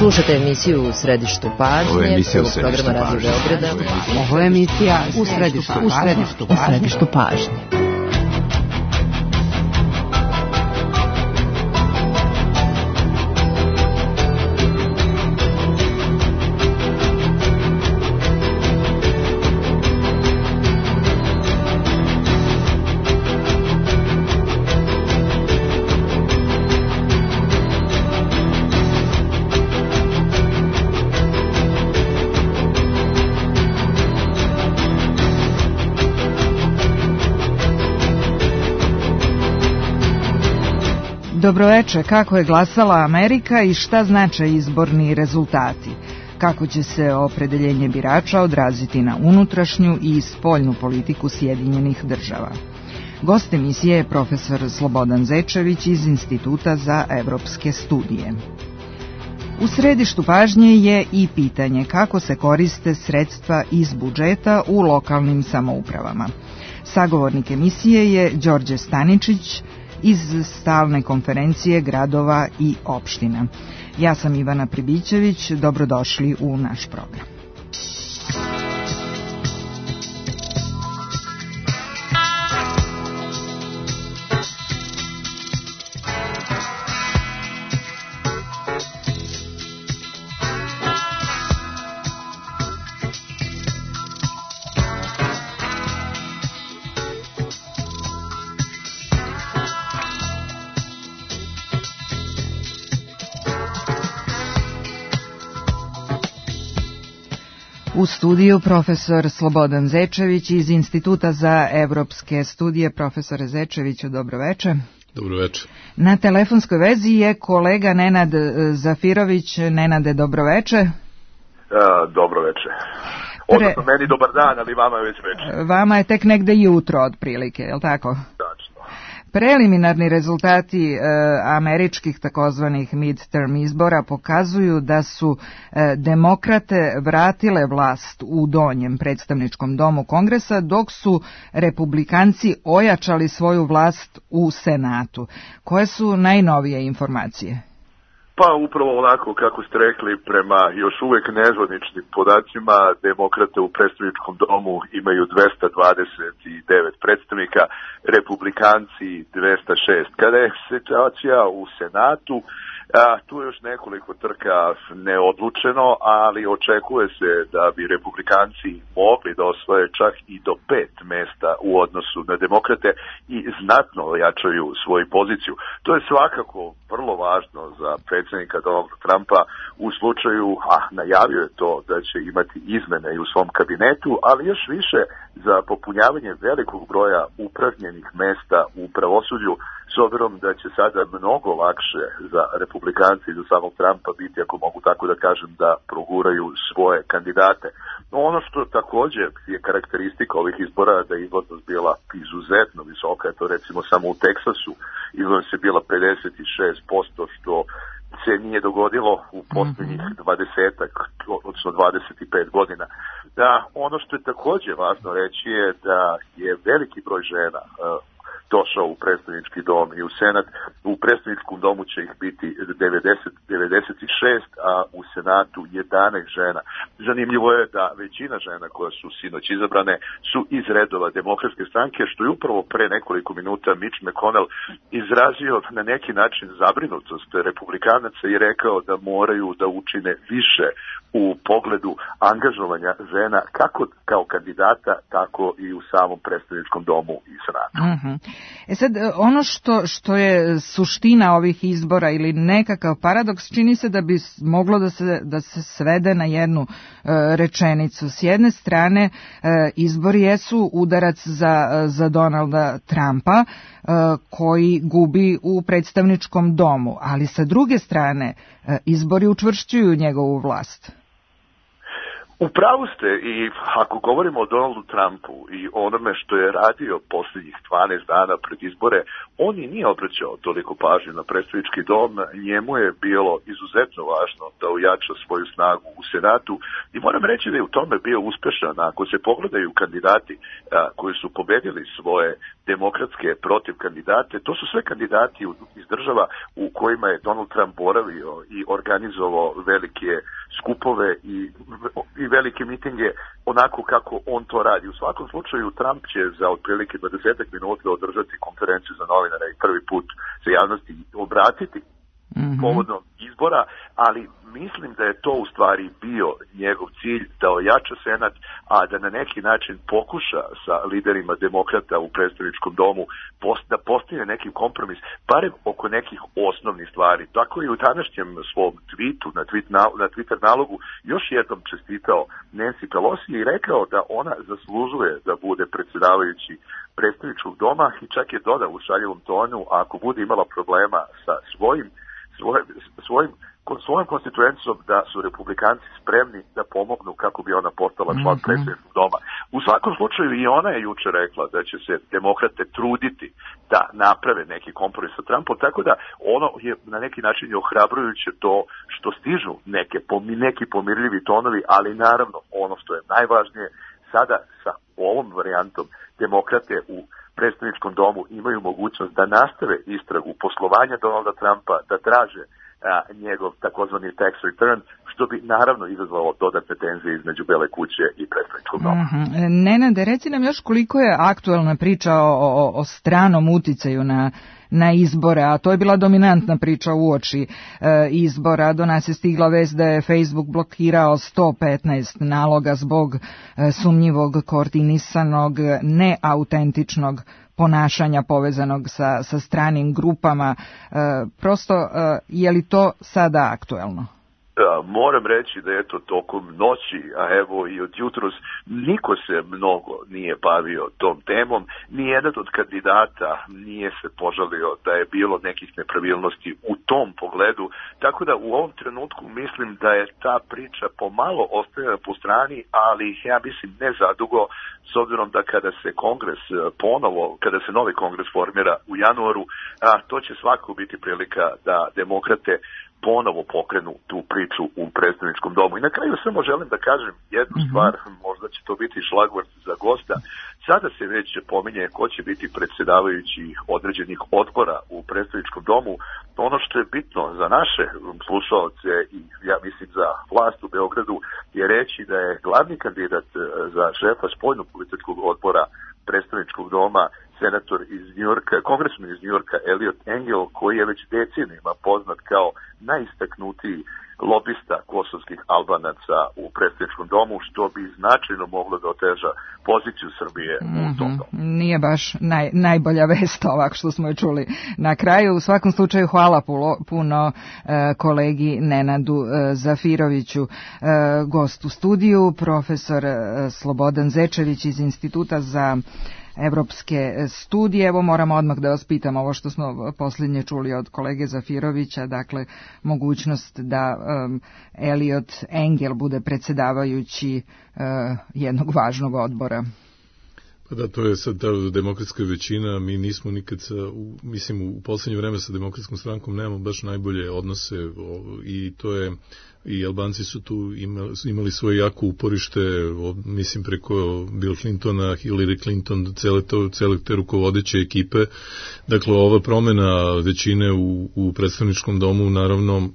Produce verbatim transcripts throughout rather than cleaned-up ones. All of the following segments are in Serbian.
Slušate emisiju U središtu pažnje. Ovo je emisija U središtu programa Radio Beograda. Ovo je emisija U središtu pažnje. U središtu pažnje. Dobroveče, kako je glasala Amerika i šta znače izborni rezultati? Kako će se opredeljenje birača odraziti na unutrašnju i spoljnu politiku Sjedinjenih država? Gost emisije je profesor Slobodan Zečević iz Instituta za evropske studije. U središtu pažnje je i pitanje kako se koriste sredstva iz budžeta u lokalnim samoupravama. Sagovornik emisije je Đorđe Staničić iz stalne konferencije gradova i opština. Ja sam Ivana Pribićević, dobrodošli u naš program. U studiju profesor Slobodan Zečević iz Instituta za evropske studije. Profesore Zečeviću, dobroveče. Dobroveče. Na telefonskoj vezi je kolega Nenad Zafirović. Nenade, dobroveče. Uh, dobroveče. Odnosno, Pre... meni dobar dan, ali vama je već veče. Vama je tek negde jutro, otprilike, je li tako? Tačno. Preliminarni rezultati e, američkih takozvanih midterm izbora pokazuju da su e, demokrate vratile vlast u donjem predstavničkom domu Kongresa, dok su republikanci ojačali svoju vlast u Senatu. Koje su najnovije informacije? Pa upravo onako kako ste rekli, prema još uvek nezvaničnim podacima, demokrate u predstavničkom domu imaju dvesta dvadeset devet predstavnika, republikanci dvesta šest. Kada je situacija u Senatu, a, tu je još nekoliko trka neodlučeno, ali očekuje se da bi republikanci mogli da osvoje čak i do pet mesta u odnosu na demokrate i znatno ojačaju svoju poziciju. To je svakako vrlo važno za predsjednika Donalda Trumpa u slučaju, a najavio je to da će imati izmene i u svom kabinetu, ali još više za popunjavanje velikog broja upražnjenih mesta u pravosuđu, s obzirom da će sada mnogo lakše za republikanci i za samog Trumpa biti, ako mogu tako da kažem, da proguraju svoje kandidate. No ono što također je karakteristika ovih izbora, da je izlaznost bila izuzetno visoka, to recimo samo u Teksasu izlaznost je bila pedeset šest posto, što se nije dogodilo u posljednjih dvadesetak, odnosno dvadeset pet godina. Da, ono što je također važno reći je da je veliki broj žena uh, došao u predstavnički dom i u Senat. U predstavničkom domu će ih biti devedeset, devedeset šest, a u Senatu jedanaest žena. Zanimljivo je da većina žena koja su sinoć izabrane su iz redova demokratske stranke, što je upravo pre nekoliko minuta Mitch McConnell izrazio na neki način zabrinutost republikanaca i rekao da moraju da učine više u pogledu angažovanja žena kako kao kandidata, tako i u samom predstavničkom domu i Senatu. Uh-huh. E sad, ono što, što je suština ovih izbora ili nekakav paradoks, čini se da bi moglo da se, da se svede na jednu uh, rečenicu. S jedne strane, uh, izbori jesu udarac za, za Donalda Trumpa, uh, koji gubi u predstavničkom domu, ali sa druge strane, uh, izbori učvršćuju njegovu vlast. U pravu ste, i ako govorimo o Donaldu Trumpu i onome što je radio posljednjih dvanaest dana pred izbore, on i nije obraćao toliko pažnje na predstavnički dom, njemu je bilo izuzetno važno da ojača svoju snagu u Senatu i moram reći da je u tome bio uspešan. Ako se pogledaju kandidati a, koji su pobedili svoje demokratske protiv kandidate. To su sve kandidati iz država u kojima je Donald Trump boravio i organizovao velike skupove i, i velike mitinge onako kako on to radi. U svakom slučaju Trump će za otprilike dvadeset minuta održati konferenciju za novinare i prvi put se javnosti obratiti mm-hmm. povodom izbora, ali mislim da je to u stvari bio njegov cilj, da ojača Senat, a da na neki način pokuša sa liderima demokrata u predstavničkom domu da postigne neki kompromis, barem oko nekih osnovnih stvari. Tako i u današnjem svom tweetu, na, tweet, na Twitter nalogu, još jednom čestitao Nancy Pelosi i rekao da ona zaslužuje da bude predsjedavajući predstavničkog doma i čak je dodao u šaljivom tonu, a ako bude imala problema sa svojim svojim, svojim svojom konstituencijom da su republikanci spremni da pomognu kako bi ona postala član mm-hmm. predsjedničkog doma. U svakom slučaju i ona je juče rekla da će se demokrate truditi da naprave neki kompromis sa Trumpom, tako da ono je na neki način je ohrabrujuće to što stižu neke, neki pomirljivi tonovi, ali naravno ono što je najvažnije, sada sa ovom varijantom demokrate u predstavničkom domu imaju mogućnost da nastave istragu poslovanja Donalda Trumpa, da traže a, njegov takozvani tax return, što bi naravno izazvalo dodatne tenzije između Bele kuće i predstavničkog doma. Mm-hmm. Nenade, reci nam još koliko je aktuelna priča o, o, o stranom uticaju na na izbore, a to je bila dominantna priča uoči e, izbora. Do nas je stigla vest da je Facebook blokirao sto petnaest naloga zbog e, sumnjivog, koordinisanog, neautentičnog ponašanja povezanog sa, sa stranim grupama. E, prosto, e, je li to sada aktuelno? Moram reći da eto tokom noći, a evo i od jutros, niko se mnogo nije bavio tom temom, nijedan od kandidata nije se požalio da je bilo nekih nepravilnosti u tom pogledu, tako da u ovom trenutku mislim da je ta priča pomalo ostajala po strani, ali ja mislim ne zadugo, s obzirom da kada se kongres ponovo, kada se novi kongres formira u januaru, a to će svakako biti prilika da demokrate ponovo pokrenu tu priču u predstavničkom domu. I na kraju samo želim da kažem jednu mm-hmm. stvar, možda će to biti šlagvort za gosta. Sada se već pominje ko će biti predsjedavajući određenih odbora u predstavničkom domu. Ono što je bitno za naše slušaoce i ja mislim za vlast u Beogradu je reći da je glavni kandidat za šefa spoljnopolitičkog odbora predstavničkog doma senator iz Njujorka, kongresman iz Njujorka Eliot Engel, koji je već decenijima poznat kao najistaknutiji lobista kosovskih Albanaca u predstavničkom domu, što bi značajno moglo da oteža poziciju Srbije mm-hmm. u tom domu. Nije baš naj, najbolja vest ovak što smo je čuli na kraju. U svakom slučaju hvala puno, puno e, kolegi Nenadu e, Zafiroviću, e, gost u studiju, profesor e, Slobodan Zečević iz Instituta za evropske studije. Evo moramo odmah da vas pitam ovo što smo posljednje čuli od kolege Zafirovića, dakle mogućnost da um, Eliot Engel bude predsjedavajući uh, jednog važnog odbora. Pa da, to je sad ta demokratska većina, mi nismo nikad sa, u, mislim u posljednje vreme sa demokratskom strankom nemamo baš najbolje odnose o, i to je i Albanci su tu imali, imali svoje jako uporište, mislim preko Bill Clintona, Hillary Clinton, cele, to, cele te rukovodeće ekipe. Dakle, ova promjena većine u, u predstavničkom domu naravno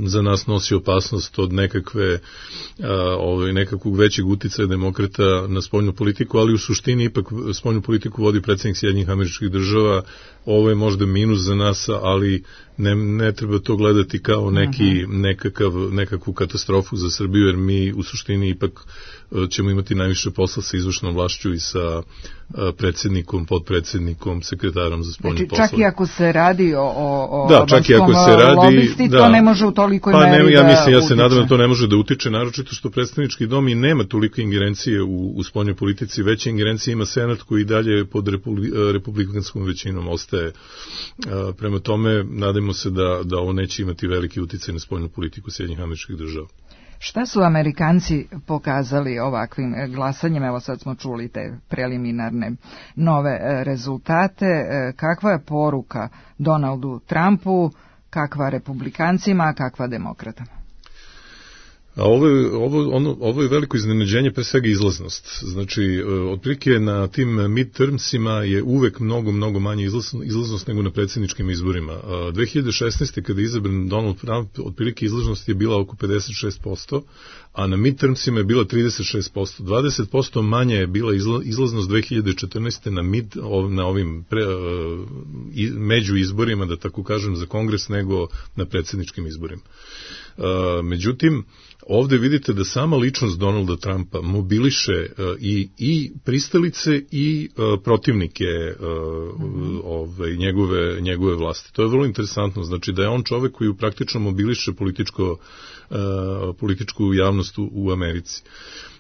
za nas nosi opasnost od nekakve a, ovaj, nekakvog većeg uticaja demokrata na spoljnu politiku, ali u suštini ipak spoljnu politiku vodi predsjednik Sjedinjenih Američkih Država. Ovo je možda minus za nas, ali ne, ne treba to gledati kao neki, nekakav, nekakvu katastrofu za Srbiju, jer mi u suštini ipak ćemo imati najviše posla sa izvršnom vlašću i sa predsjednikom, podpredsjednikom, sekretarom za spoljne znači, poslove. Čak i ako se radi o, o da, čak i ako se radi, lobisti, da, to ne može u tolikoj pa meri ne, ja mislim, da ja se nadam da to ne može da utiče, naročito što predstavnički dom i nema toliko ingerencije u, u spoljnoj politici, veće ingerencije ima Senat koji i dalje pod republi, republikanskom većinom ostaje. Prema tome, nadamo se da, da ovo neće imati veliki uticaj na spoljnu politiku Sjedinjenih Američkih Država. Šta su Amerikanci pokazali ovakvim glasanjem? Evo sad smo čuli te preliminarne nove rezultate. Kakva je poruka Donaldu Trumpu, kakva republikancima, kakva demokratama? A ovo je, ovo, ono, ovo je veliko iznenađenje, pre svega izlaznost. Znači, otprilike na tim midtermsima je uvek mnogo, mnogo manje izlaznost nego na predsjedničkim izborima. dve hiljade šesnaeste. kada je izabran Donald Trump, otprilike izlaznost je bila oko pedeset šest posto, a na midtermsima je bila trideset šest posto. dvadeset posto manje je bila izlaznost dve hiljade četrnaeste. na, mid, na ovim pre, među izborima, da tako kažem, za kongres nego na predsjedničkim izborima. Međutim, ovde vidite da sama ličnost Donalda Trumpa mobiliše uh, i, i pristalice i uh, protivnike uh, mm-hmm. ove, njegove, njegove vlasti. To je vrlo interesantno, znači da je on čovek koji praktično mobiliše političko, uh, političku javnost u, u Americi.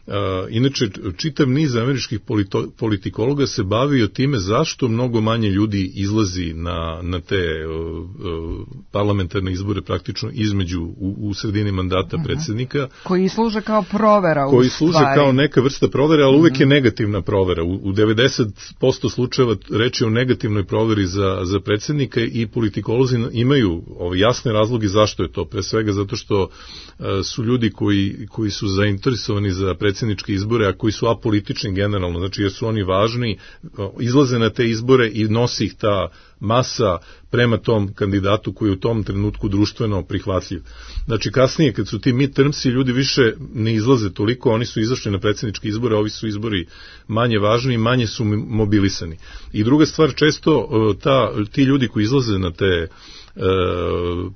Uh, inače, čitav niz američkih polito, politikologa se bavio time zašto mnogo manje ljudi izlazi na, na te uh, uh, parlamentarne izbore praktično između u, u sredini mandata uh-huh. predsjednika. Koji služe kao provera u Koji stvari. služe kao neka vrsta provere, ali uh-huh. uvek je negativna provera. U, u devedeset posto slučajeva reč je o negativnoj proveri za, za predsjednika i politikolozi imaju ove jasne razloge zašto je to. Pre svega zato što uh, su ljudi koji, koji su zainteresovani za predsjednika predsjedničke izbore, a koji su apolitični generalno, znači jer su oni važni, izlaze na te izbore i nosi ih ta masa prema tom kandidatu koji je u tom trenutku društveno prihvatljiv. Znači kasnije kad su ti midtermsi, ljudi više ne izlaze toliko, oni su izašli na predsjedničke izbore, ovi su izbori manje važni i manje su mobilisani. I druga stvar, često ta, ti ljudi koji izlaze na te E,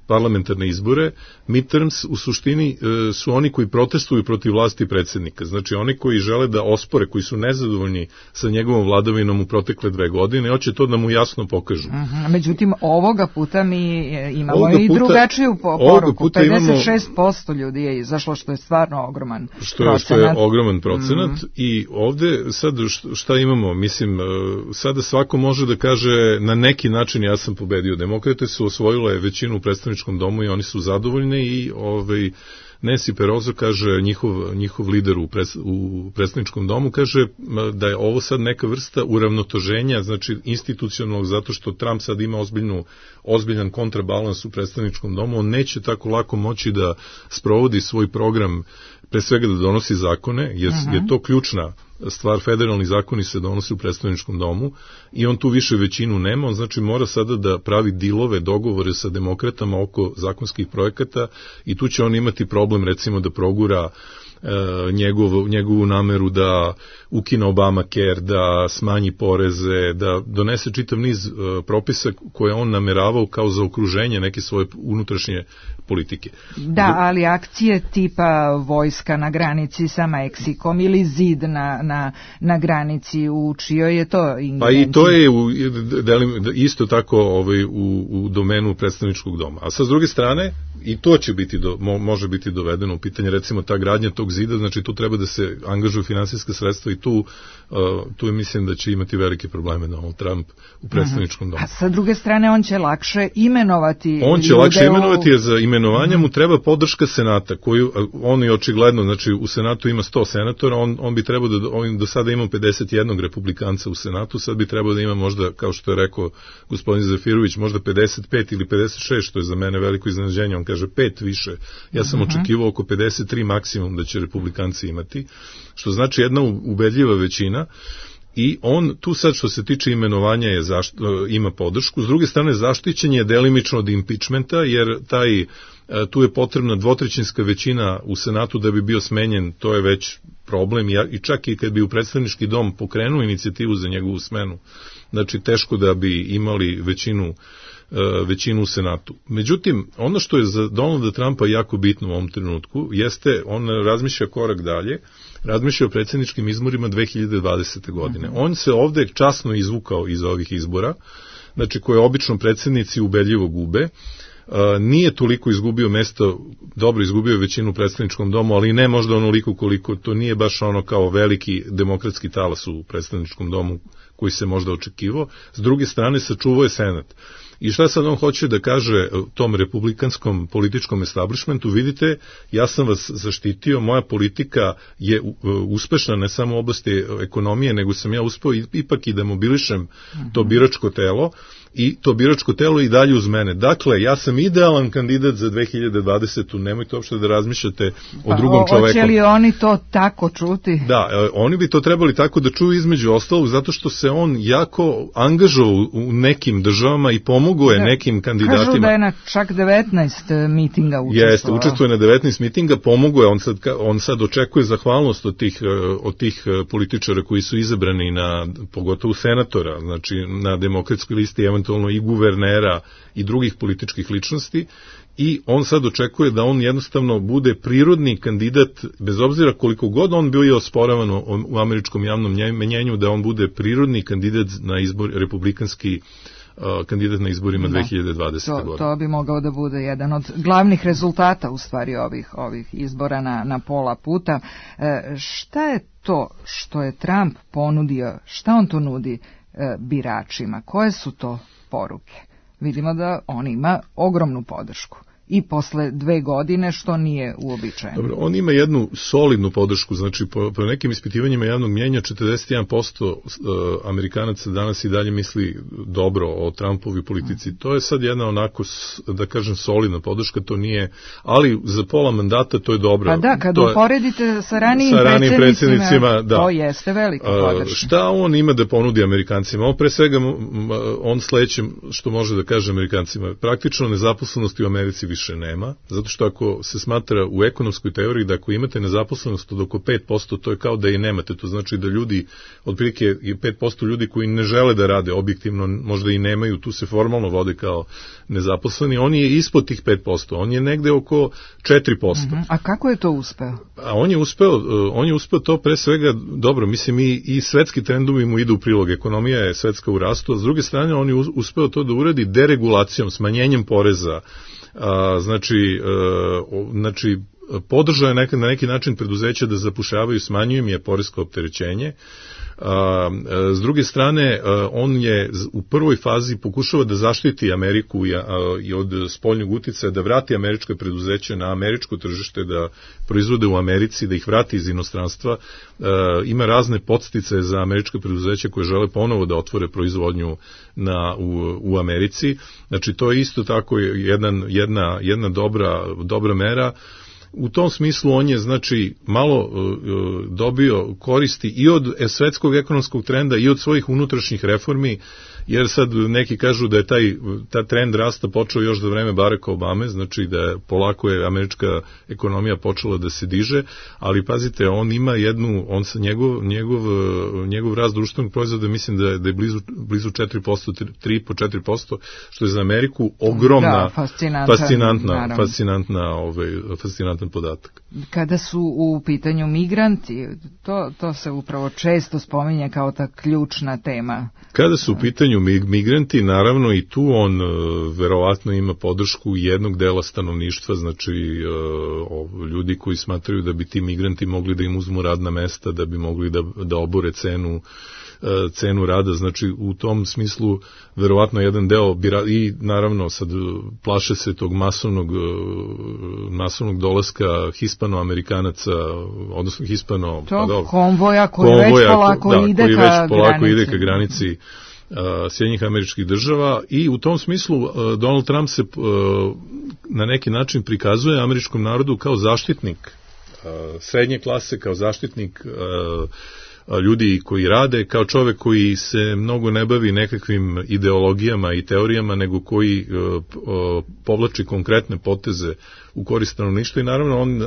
parlamentarne izbore, midterms u suštini e, su oni koji protestuju protiv vlasti predsjednika, znači oni koji žele da ospore, koji su nezadovoljni sa njegovom vladavinom u protekle dve godine, hoće to da mu jasno pokažu. Uh-huh. Međutim, ovoga puta mi imamo ovoga i puta, drugačiju poruku. pedeset šest posto ljudi je izašlo, što je stvarno ogroman što procenat. Što je ogroman procenat mm. i ovde sad šta imamo, mislim, sada svako može da kaže na neki način ja sam pobedio. Demokrate su osvojili je većinu u predstavničkom domu i oni su zadovoljni i ovaj, Nancy Pelosi kaže, njihov, njihov lider u, pres, u predstavničkom domu, kaže da je ovo sad neka vrsta uravnotoženja, znači institucionalnog, zato što Trump sad ima ozbiljnu, ozbiljan kontrabalans u predstavničkom domu, on neće tako lako moći da sprovodi svoj program, pre svega da donosi zakone, jer uh-huh. je to ključna stvar, federalni zakoni se donose u predstavničkom domu i on tu više većinu nema, on znači mora sada da pravi dilove, dogovore sa demokratama oko zakonskih projekata i tu će on imati problem recimo da progura e, njegov, njegovu nameru da ukine Obamacare, da smanji poreze, da donese čitav niz e, propisa koje on nameravao kao za okruženje neke svoje unutrašnje politike. Da, ali akcije tipa vojska na granici sa Meksikom ili zid na, na, na granici u čijoj je to ingerenciji? Pa i to je u, isto tako ovaj, u, u domenu predstavničkog doma. A sa s druge strane, i to će biti do, mo, može biti dovedeno u pitanje, recimo ta gradnja tog zida, znači tu treba da se angažuju finansijska sredstva i tu, uh, tu je mislim da će imati velike probleme Donald Trump u predstavničkom domu. A sa druge strane on će lakše imenovati On će lakše imenovati, jer za imenovanje mu treba podrška Senata, koju on je očigledno, znači u Senatu ima sto senatora, on, on bi trebao da, on do sada ima pedeset jedan republikanca u Senatu, sad bi trebao da ima možda, kao što je rekao gospodin Zafirović, možda pedeset pet ili pedeset šest, što je za mene veliko iznenađenje, on kaže pet više, ja sam uh-huh. očekivao oko pedeset tri maksimum da će republikanci imati, što znači jedna ubedljiva većina. I on tu sad što se tiče imenovanja je zašt, ima podršku, s druge strane zaštićen je delimično od impeachmenta, jer taj, tu je potrebna dvotrećinska većina u Senatu da bi bio smenjen, to je već problem, i čak i kad bi u predstavnički dom pokrenuo inicijativu za njegovu smenu, znači teško da bi imali većinu većinu u Senatu. Međutim, ono što je za Donalda Trumpa jako bitno u ovom trenutku, jeste, on razmišlja korak dalje, razmišlja o predsjedničkim izborima dve hiljade dvadesete godine. On se ovde časno izvukao iz ovih izbora, znači koje obično predsjednici ubedljivo gube, nije toliko izgubio mesto, dobro izgubio većinu u predstavničkom domu, ali ne možda onoliko koliko, to nije baš ono kao veliki demokratski talas u predstavničkom domu koji se možda očekivao. S druge strane, sačuvao je Senat. I šta sad on hoće da kaže tom republikanskom političkom establishmentu? Vidite, ja sam vas zaštitio, moja politika je uspešna ne samo u oblasti ekonomije, nego sam ja uspeo ipak i da mobilišem to biračko telo, i to biračko telo i dalje uz mene. Dakle, ja sam idealan kandidat za dve hiljade dvadesetu. Nemojte uopšte da razmišljate o drugom pa, čoveku. Hoće li oni to tako čuti? Da, oni bi to trebali tako da čuju između ostalog, zato što se on jako angažovao u nekim državama i pomogao je da, nekim kandidatima. Kažu da je na čak devetnaest mitinga učestvovao. Jeste, učestvuje na devetnaest mitinga, pomogao je, on sad, on sad očekuje zahvalnost od tih, od tih političara koji su izabrani na, pogotovo senatora, znači na demokratskoj listi, eventualno i guvernera i drugih političkih ličnosti, i on sad očekuje da on jednostavno bude prirodni kandidat, bez obzira koliko god on bio osporavan u američkom javnom mnjenju, da on bude prirodni kandidat na izbor, republikanski uh, kandidat na izborima da, dve hiljade dvadesete. To, godine. To bi mogao da bude jedan od glavnih rezultata u stvari ovih, ovih izbora na, na pola puta. E, šta je to što je Trump ponudio, šta on to nudi e, biračima? Koje su to poruke? Vidimo da on ima ogromnu podršku. I posle dve godine, što nije uobičajeno. Dobro, on ima jednu solidnu podršku, znači po, po nekim ispitivanjima javnog mnjenja četrdeset jedan posto uh, Amerikanaca danas i dalje misli dobro o Trumpovoj politici. Mm. To je sad jedna onako, da kažem, solidna podrška, to nije, ali za pola mandata to je dobro. Pa da, kad to uporedite sa ranijim, sa ranijim predsjednicima, predsjednicima da. To jeste velika podrška. Uh, šta on ima da ponudi Amerikancima? On pre svega, on sledećem što može da kaže Amerikancima, praktično nezaposlenosti u Americi više nema, zato što ako se smatra u ekonomskoj teoriji da ako imate nezaposlenost od oko pet posto, to je kao da i nemate, to znači da ljudi, otprilike je pet posto ljudi koji ne žele da rade objektivno, možda i nemaju, tu se formalno vode kao nezaposleni, on je ispod tih pet posto, on je negde oko četiri posto. Uh-huh. A kako je to uspeo? A on je uspeo, on je uspeo to pre svega, dobro, mislim i, i svetski trendovi mu idu u prilog, ekonomija je svetska u rastu, a s druge strane on je uspeo to da uradi deregulacijom, smanjenjem poreza. A, znači, a, znači podržao je neka, na neki način preduzeća da zapušavaju, smanjuju im je poresko opterećenje. A, a, s druge strane, a, on je u prvoj fazi pokušava da zaštiti Ameriku i, a, i od spoljnog uticaja, da vrati američka preduzeća na američko tržište, da proizvode u Americi, da ih vrati iz inostranstva. A, ima razne podsticaje za američka preduzeća koje žele ponovo da otvore proizvodnju na, u, u Americi. Znači, to je isto tako jedan, jedna, jedna dobra, dobra mera. U tom smislu on je, znači, malo uh, dobio koristi i od svetskog ekonomskog trenda i od svojih unutrašnjih reformi, jer sad neki kažu da je taj, taj trend rasta počeo još za vreme Baracka Obame, znači da je polako je američka ekonomija počela da se diže, ali pazite, on ima jednu, on sa njegov, njegov, njegov rast društvenog proizvoda, mislim da je, da je blizu, blizu četiri posto, tri po četiri posto, što je za Ameriku ogromna, da, fascinantna, fascinantna, fascinantna, ovaj, fascinantan podatak. Kada su u pitanju migranti, to, to se upravo često spominje kao ta ključna tema. Kada su u pitanju migranti, naravno i tu on uh, verovatno ima podršku jednog dela stanovništva, znači uh, ljudi koji smatraju da bi ti migranti mogli da im uzmu radna mesta, da bi mogli da, da obore cenu, uh, cenu rada, znači u tom smislu verovatno jedan deo bira, i naravno sad plaše se tog masovnog, uh, masovnog dolaska hispanoamerikanaca, odnosno hispano... To pa, konvoja koji konvoja, već polako, da, ide, koji ka već polako granici. ide ka granici Sjedinjenih Američkih Država, i u tom smislu Donald Trump se na neki način prikazuje američkom narodu kao zaštitnik srednje klase, kao zaštitnik ljudi koji rade, kao čovek koji se mnogo ne bavi nekakvim ideologijama i teorijama, nego koji povlači konkretne poteze u korist stanovništva, i naravno on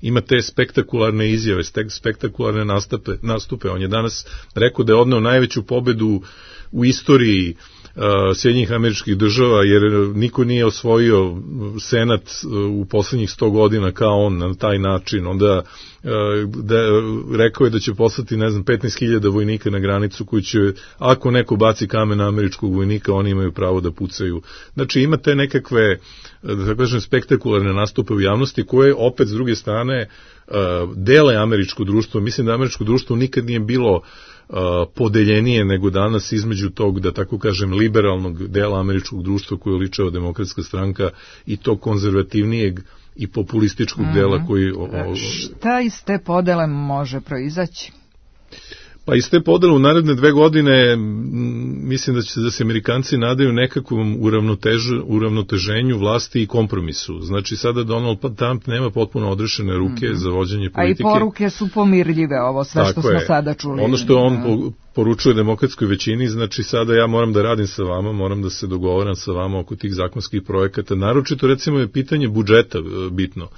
ima te spektakularne izjave, spektakularne nastupe, nastupe. On je danas rekao da je odneo najveću pobedu u istoriji uh, Sjedinjenih Američkih Država, jer niko nije osvojio senat u poslednjih sto godina kao on na taj način. Onda uh, da, rekao je da će poslati, ne znam, petnaest hiljada vojnika na granicu koji će, ako neko baci kamen na američkog vojnika, oni imaju pravo da pucaju. Znači imate nekakve, da kažem, spektakularne nastupe u javnosti koje opet s druge strane uh, dele američko društvo. Mislim da američko društvo nikad nije bilo Uh, podeljenije nego danas između tog, da tako kažem, liberalnog dela američkog društva koje ličava Demokratska stranka i tog konzervativnijeg i populističkog mm-hmm. dela koji... O, o, Šta iz te podele može proizaći? Pa iz te podele u naredne dve godine mislim da će da se Amerikanci nadaju nekakvom uravnotež, uravnoteženju vlasti i kompromisu. Znači sada Donald Trump nema potpuno odrešene ruke mm-hmm. za vođenje politike. A i poruke su pomirljive, ovo sve Tako što smo je. sada čuli. Ono što on po, poručuje demokratskoj većini, znači sada ja moram da radim sa vama, moram da se dogovaram sa vama oko tih zakonskih projekata. Naročito recimo je pitanje budžeta bitno.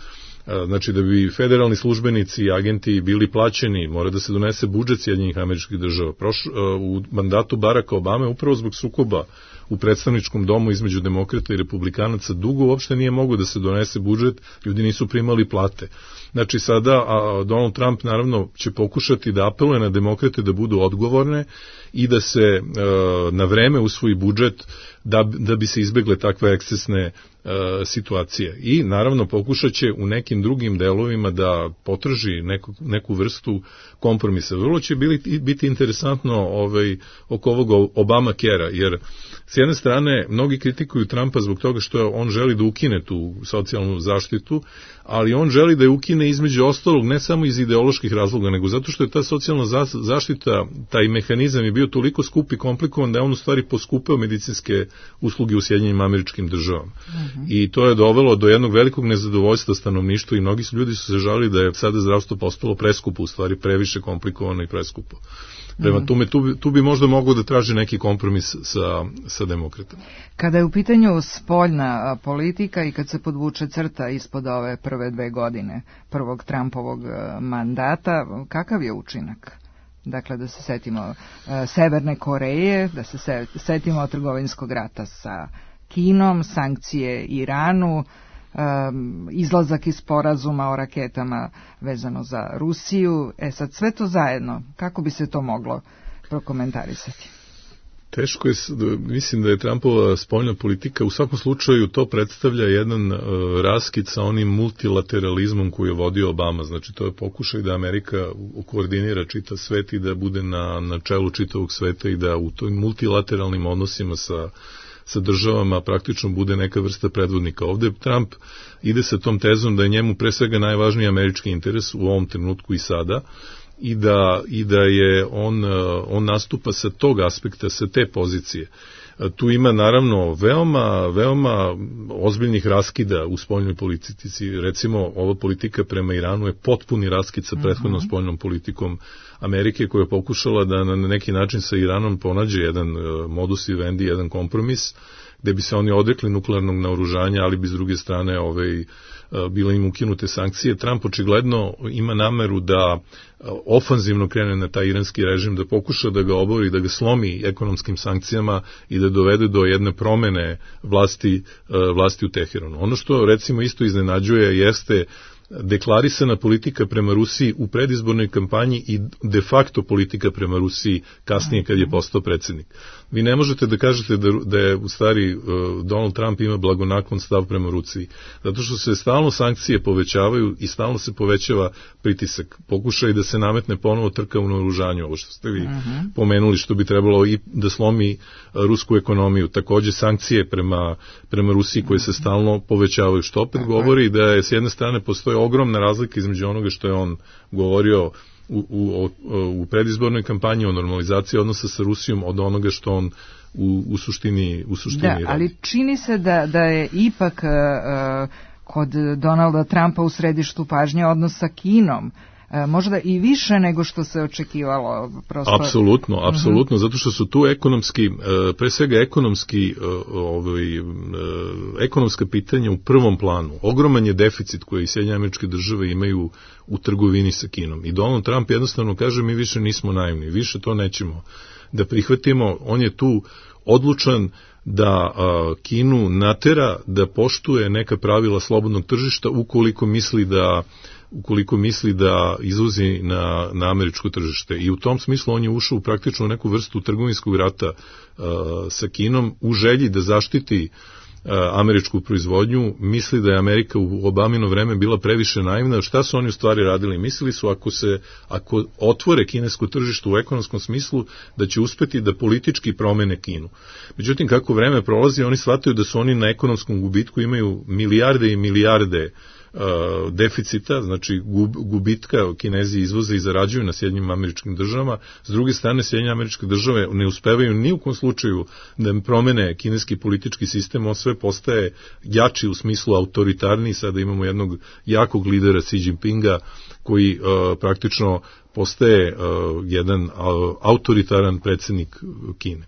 Znači da bi federalni službenici i agenti bili plaćeni, mora da se donese budžet Sjedinjenih Američkih Država. Proš, u mandatu Baracka Obame upravo zbog sukoba u predstavničkom domu između demokrata i republikanaca dugo uopšte nije mogo da se donese budžet, ljudi nisu primali plate. Znači sada a Donald Trump naravno će pokušati da apeluje na demokrate da budu odgovorne i da se e, na vreme usvoji budžet da, da bi se izbegle takve ekscesne e, situacije. I naravno pokušat će u nekim drugim delovima da potraži neku, neku vrstu kompromisa. Vrlo će biti, biti interesantno ovaj, oko ovog Obamacare-a, jer s jedne strane mnogi kritikuju Trumpa zbog toga što on želi da ukine tu socijalnu zaštitu, ali on želi da je ukine između ostalog ne samo iz ideoloških razloga, nego zato što je ta socijalna zaštita, taj mehanizam je bio toliko skup i komplikovan da je on u stvari poskupeo medicinske usluge u Sjedinjenim Američkim Državama. Uh-huh. I to je dovelo do jednog velikog nezadovoljstva stanovništva i mnogi su ljudi su se žalili da je sada zdravstvo postalo preskupo, u stvari previše komplikovano i preskupo. Prema tome, tu, tu bi možda mogao da traži neki kompromis sa, sa demokratama. Kada je u pitanju spoljna politika i kad se podvuče crta ispod ove prve dve godine prvog Trumpovog mandata, kakav je učinak? Dakle, da se setimo uh, Severne Koreje, da se se, setimo trgovinskog rata sa Kinom, sankcije Iranu, um, izlazak iz sporazuma o raketama vezano za Rusiju. E sad, sve to zajedno, kako bi se to moglo prokomentarisati? Teško je, mislim da je Trumpova spoljna politika, u svakom slučaju to predstavlja jedan uh, raskid sa onim multilateralizmom koji je vodio Obama, znači to je pokušaj da Amerika koordinira čitav svet i da bude na, na čelu čitavog sveta i da u toj multilateralnim odnosima sa, sa državama praktično bude neka vrsta predvodnika. Ovde Trump ide sa tom tezom da je njemu pre svega najvažniji američki interes u ovom trenutku i sada, i da, i da je on, on nastupa sa tog aspekta, sa te pozicije. Tu ima naravno veoma, veoma ozbiljnih raskida u spoljnoj politici. Recimo, ova politika prema Iranu je potpuni raskid sa prethodnom uh-huh. spoljnom politikom Amerike, koja je pokušala da na neki način sa Iranom ponađe jedan modus vivendi, jedan kompromis, gde bi se oni odrekli nuklearnog naoružanja, ali bi s druge strane ovaj, bile im ukinute sankcije. Trump očigledno ima nameru da ofanzivno krene na taj iranski režim, da pokuša da ga obori, da ga slomi ekonomskim sankcijama i da dovede do jedne promene vlasti, vlasti u Teheranu. Ono što recimo isto iznenađuje jeste deklarisana politika prema Rusiji u predizbornoj kampanji i de facto politika prema Rusiji kasnije kad je postao predsjednik. Vi ne možete da kažete da, da je u stvari uh, Donald Trump ima blagonaklon stav prema Rusiji, zato što se stalno sankcije povećavaju i stalno se povećava pritisak. Pokušaj da se nametne ponovo trka u naoružanju, ovo što ste vi uh-huh. pomenuli, što bi trebalo i da slomi uh, rusku ekonomiju. Takođe sankcije prema, prema Rusiji koje se stalno povećavaju, što opet uh-huh. govori da je s jedne strane postoji ogromna razlika između onoga što je on govorio u, u, u predizbornoj kampanji o normalizaciji odnosa sa Rusijom od onoga što on u, u suštini, u suštini da, radi. Ali čini se da, da je ipak uh, kod Donalda Trumpa u središtu pažnje odnos sa Kinom. Možda i više nego što se očekivalo. Prosto... Apsolutno, apsolutno, uh-huh. zato što su tu ekonomski, pre svega ekonomski, ovaj, ekonomska pitanja u prvom planu. Ogroman je deficit koji Sjedinjene Američke Države imaju u trgovini sa Kinom. I Donald Trump jednostavno kaže, mi više nismo naivni, više to nećemo da prihvatimo. On je tu odlučan da a, Kinu natera da poštuje neka pravila slobodnog tržišta ukoliko misli da ukoliko misli da izvozi na, na američko tržište. I u tom smislu on je ušao u praktično neku vrstu trgovinskog rata uh, sa Kinom u želji da zaštiti uh, američku proizvodnju. Misli da je Amerika u Obamino vreme bila previše naivna. Šta su oni u stvari radili? Mislili su ako se ako otvore kinesko tržište u ekonomskom smislu da će uspeti da politički promene Kinu. Međutim, kako vreme prolazi, oni shvataju da su oni na ekonomskom gubitku, imaju milijarde i milijarde deficita, znači gubitka, Kinezi izvoze i zarađuju na Sjedinjenim Američkim Državama, s druge strane Sjedinjene Američke Države ne uspevaju ni u kom slučaju da promene kineski politički sistem, on sve postaje jači u smislu autoritarniji, sada imamo jednog jakog lidera Xi Jinpinga koji uh, praktično postaje uh, jedan uh, autoritaran predsjednik Kine.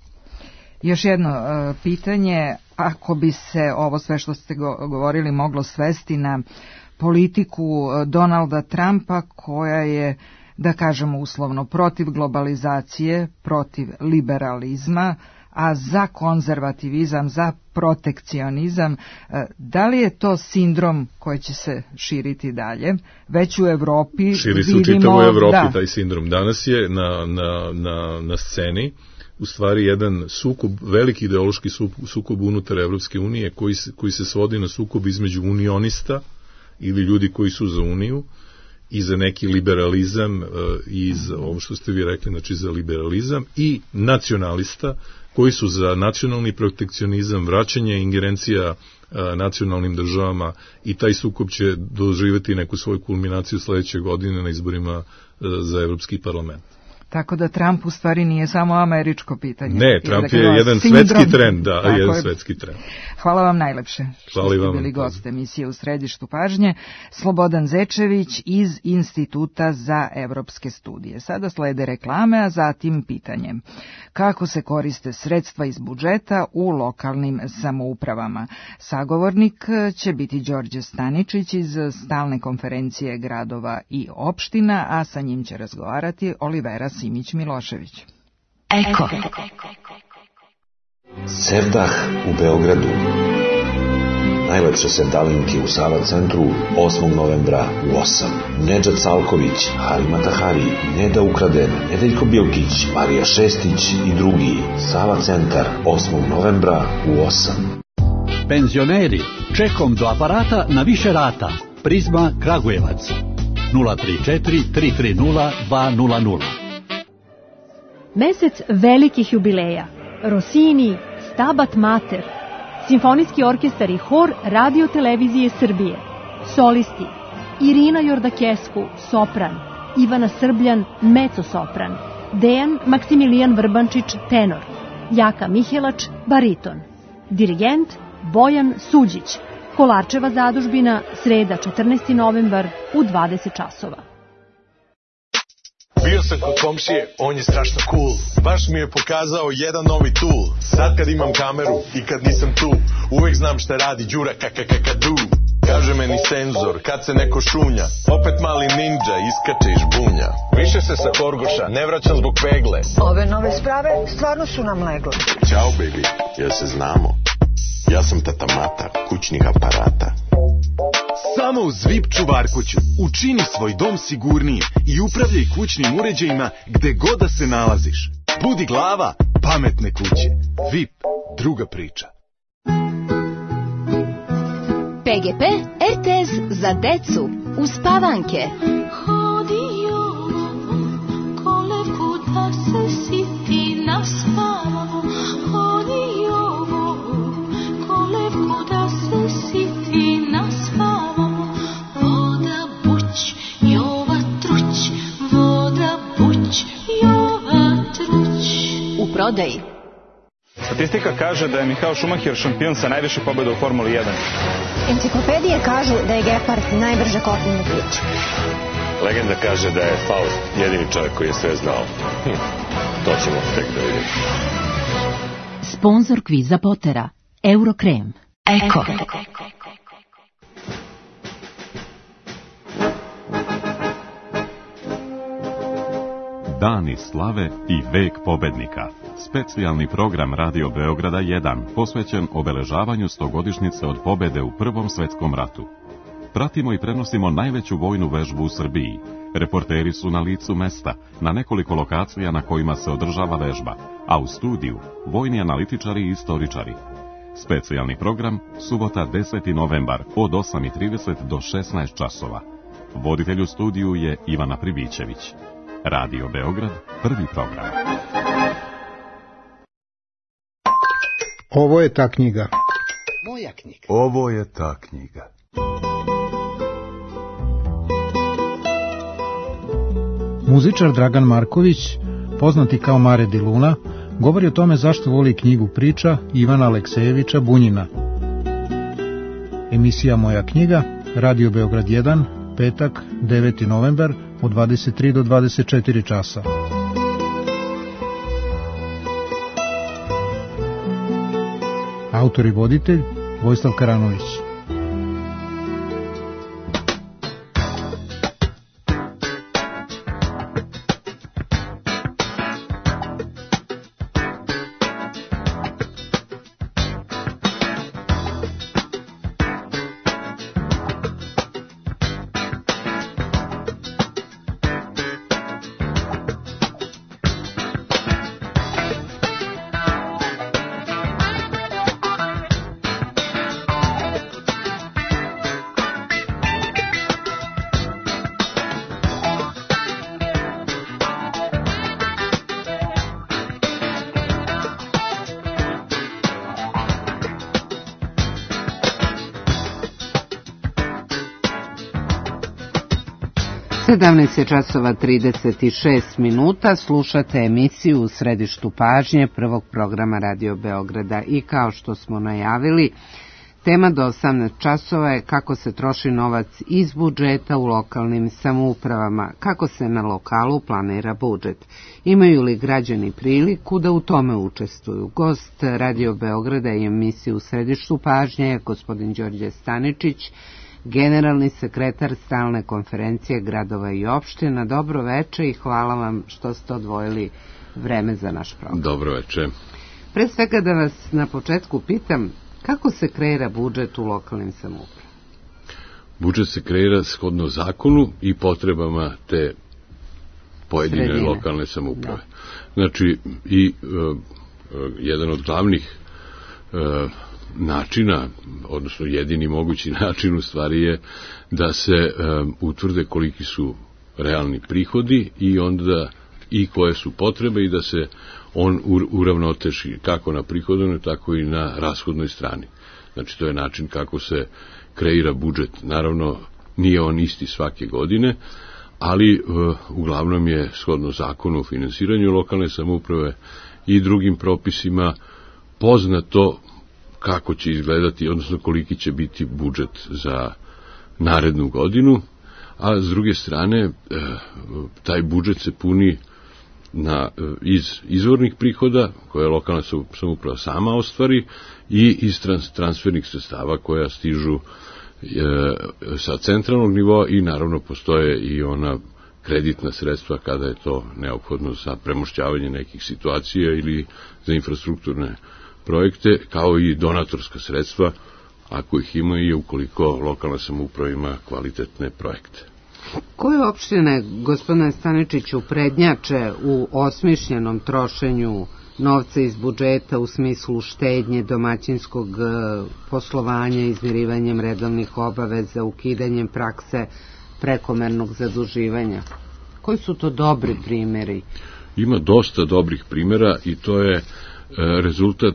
Još jedno uh, pitanje, ako bi se ovo sve što ste go- govorili moglo svesti na politiku uh, Donalda Trumpa, koja je, da kažemo uslovno, protiv globalizacije, protiv liberalizma, a za konzervativizam, za protekcionizam, da li je to sindrom koji će se širiti dalje? Već u Evropi širi se vidimo... u čitavoj Evropi da. taj sindrom. Danas je na, na, na, na sceni u stvari jedan sukob, veliki ideološki sukob unutar Evropske unije koji se, koji se svodi na sukob između unionista ili ljudi koji su za uniju i za neki liberalizam i za ovo što ste vi rekli, znači za liberalizam, i nacionalista koji su za nacionalni protekcionizam, vraćanje ingerencija a, nacionalnim državama, i taj sukob će doživjeti neku svoju kulminaciju sledeće godine na izborima a, za Evropski parlament. Tako da Trump u stvari nije samo američko pitanje. Ne, Trump je je jedan sindrom. svetski trend, da, Tako jedan je. svetski trend. Hvala vam najlepše što Hvala ste vam. bili gost emisije U središtu pažnje. Slobodan Zečević iz Instituta za evropske studije. Sada slede reklame, a zatim pitanje. Kako se koriste sredstva iz budžeta u lokalnim samoupravama? Sagovornik će biti Đorđe Staničić iz Stalne konferencije gradova i opština, a sa njim će razgovarati Olivera Simić-Milošević. Eko. Sevdah u Beogradu. Najlepše sevdalinke u Sava centru osmog novembra u osam. Nedžad Salković, Halima Tahari, Neda Ukraden, Nedeljko Bilkić, Marija Šestić i drugi. Sava centar osmog novembra u osam. Penzioneri, čekom do aparata na više rata. Prizma Kragujevac. nula tri četiri tri tri nula dva nula nula. Mesec velikih jubileja. Rossini, Stabat Mater, Simfonijski orkestar i hor Radio Televizije Srbije. Solisti: Irina Jordakesku, sopran, Ivana Srbljan, mezzo-sopran, Dejan Maksimilijan Vrbančić, tenor, Jaka Mihelač, bariton. Dirigent Bojan Suđić. Kolarčeva zadužbina, sreda četrnaesti novembar u dvadeset časova. Bio sam kod komšije, on je strašno cool. Baš mi je pokazao jedan novi tool. Sad kad imam kameru i kad nisam tu, uvek znam šta radi Đura kakakakadu. Kaže meni senzor, kad se neko šunja, opet mali ninja iskače iz žbunja. Više se sa Horgoša ne vraćam zbog pegle. Ove nove sprave stvarno su nam legle. Ćao baby, jel se znamo? Ja sam tata Mata, kućnih aparata. Samo uz V I P čuvarkuću učini svoj dom sigurniji i upravljaj kućnim uređajima gde god da se nalaziš. Budi glava pametne kuće. V I P, druga priča. P G P R T S za decu uz Spavanke. Hodio kolevku da se siti na spavu. Hodio kolevku da se siti na spavu. Voda buć, jova truć. Voda buć, jova truć. U prodaji. Statistika kaže da je Michael Schumacher šampion sa najviše pobjeda u Formuli jedan. Enciklopedije kažu da je Gepard najbrže kopneni prič. Legenda kaže da je Faust jedini čovjek koji je sve znao. Hm, to ćemo tek da vidimo. Sponzor kviza Potera, Eurokrem. Eko. Dani slave i vek pobednika. Specijalni program Radio Beograda jedan posvećen obeležavanju stogodišnjice od pobede u Prvom svetskom ratu. Pratimo i prenosimo najveću vojnu vežbu u Srbiji. Reporteri su na licu mesta, na nekoliko lokacija na kojima se održava vežba, a u studiju vojni analitičari i istoričari. Specijalni program, subota deseti novembar od osam i trideset do šesnaest časova. Voditelj u studiju je Ivana Pribićević. Radio Beograd, prvi program. Ovo je ta knjiga. Moja knjiga. Ovo je ta knjiga. Muzičar Dragan Marković, poznati kao Mare di Luna, govori o tome zašto voli knjigu priča Ivana Aleksejevića Bunjina. Emisija Moja knjiga, Radio Beograd jedan, petak, deveti novembar, od dvadeset tri do dvadeset četiri časa. Autor i voditelj Vojislav Karanović. sedamnaest časova trideset šest minuta, slušate emisiju U središtu pažnje prvog programa Radio Beograda i kao što smo najavili, tema do osamnaest časova je kako se troši novac iz budžeta u lokalnim samoupravama, kako se na lokalu planira budžet. Imaju li građani priliku da u tome učestvuju? Gost Radio Beograda i emisiju U središtu pažnje je gospodin Đorđe Staničić, generalni sekretar Stalne konferencije gradova i opština. Dobro veče i hvala vam što ste odvojili vreme za naš program. Dobro veče. Pre svega da vas na početku pitam, kako se kreira budžet u lokalnim samoupravama? Budžet se kreira shodno zakonu i potrebama te pojedine Sredine. Lokalne samouprave. Da. Znači, i uh, uh, jedan od glavnih uh, načina, odnosno jedini mogući način u stvari je da se um, utvrde koliki su realni prihodi i onda i koje su potrebe i da se on uravnoteži kako na prihodovnoj, tako i na rashodnoj strani. Znači, to je način kako se kreira budžet. Naravno, nije on isti svake godine, ali uh, uglavnom je shodno zakonu o finansiranju lokalne samouprave i drugim propisima poznato kako će izgledati, odnosno koliki će biti budžet za narednu godinu, a s druge strane taj budžet se puni na, iz izvornih prihoda koje lokalna samouprava sama ostvari i iz trans, transfernih sredstava koja stižu e, sa centralnog nivoa i naravno postoje i ona kreditna sredstva kada je to neophodno za premošćavanje nekih situacija ili za infrastrukturne projekte, kao i donatorska sredstva, ako ih ima i ukoliko lokalna samouprava ima kvalitetne projekte. Koje opštine, gospodine Staničiću, prednjače u osmišljenom trošenju novca iz budžeta u smislu štednje, domaćinskog poslovanja, izmirivanjem redovnih obaveza, ukidanjem prakse prekomernog zaduživanja? Koji su to dobri primjeri? Ima dosta dobrih primjera i to je rezultat